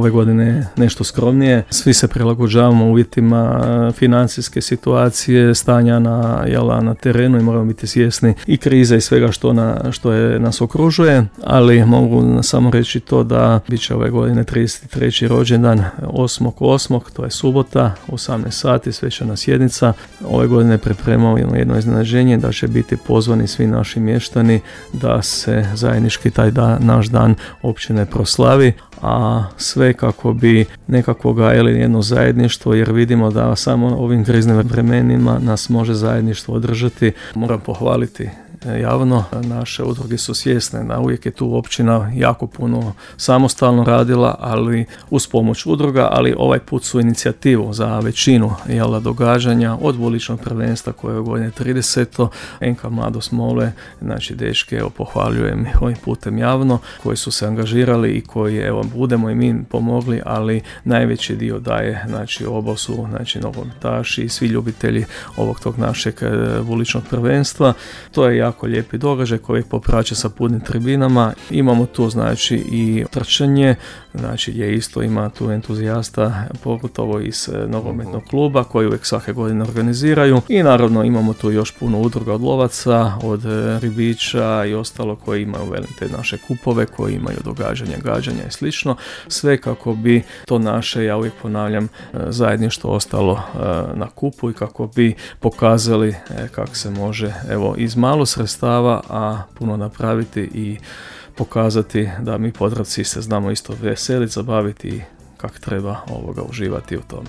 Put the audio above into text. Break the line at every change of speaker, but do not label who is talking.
ove godine nešto skromnije. Svi se prilagođavamo uvjetima financijske situacije, stanja na terenu i moramo biti svjesni i krize i svega što nas okružuje, ali mogu samo reći to da bit će ove godine 33. rođendan 8.8. to je subota, 18 sati, svečana sjednica. Ove godine pripremamo jedno iznenađenje da će biti pozvani svi naši mještani da se zajednički taj naš dan općine proslavi, a sve kako bi nekako gajili jedno zajedništvo, jer vidimo da samo ovim kriznim vremenima nas može zajedništvo održati. Moram pohvaliti javno, naše udruge su svjesne da uvijek je tu općina jako puno samostalno radila, ali uz pomoć udruga, ali ovaj put su inicijativu za većinu događanja od uličnog prvenstva koje je godine 30. NK Mladost Mole, znači dečke, pohvaljujem ovim putem javno, koji su se angažirali i koji budemo i mi pomogli, ali najveći dio daje, znači oba su, znači nogometaši i svi ljubitelji tog našeg uličnog prvenstva. To je jako lijepi događaj koji popraća sa punim tribinama. Imamo tu znači i trčanje, znači gdje isto ima tu entuzijasta, pogotovo iz nogometnog kluba koji uvijek svake godine organiziraju, i naravno imamo tu još puno udruga od lovaca, od ribiča i ostalo koji imaju te naše kupove, koji imaju događanja, gađanja i slično, sve kako bi to naše, ja uvijek ponavljam, zajedništvo ostalo na kupu i kako bi pokazali kako se može iz malo sredstava, a puno napraviti i pokazati da mi Podravci se znamo isto veseliti, zabaviti i kako treba uživati u tome.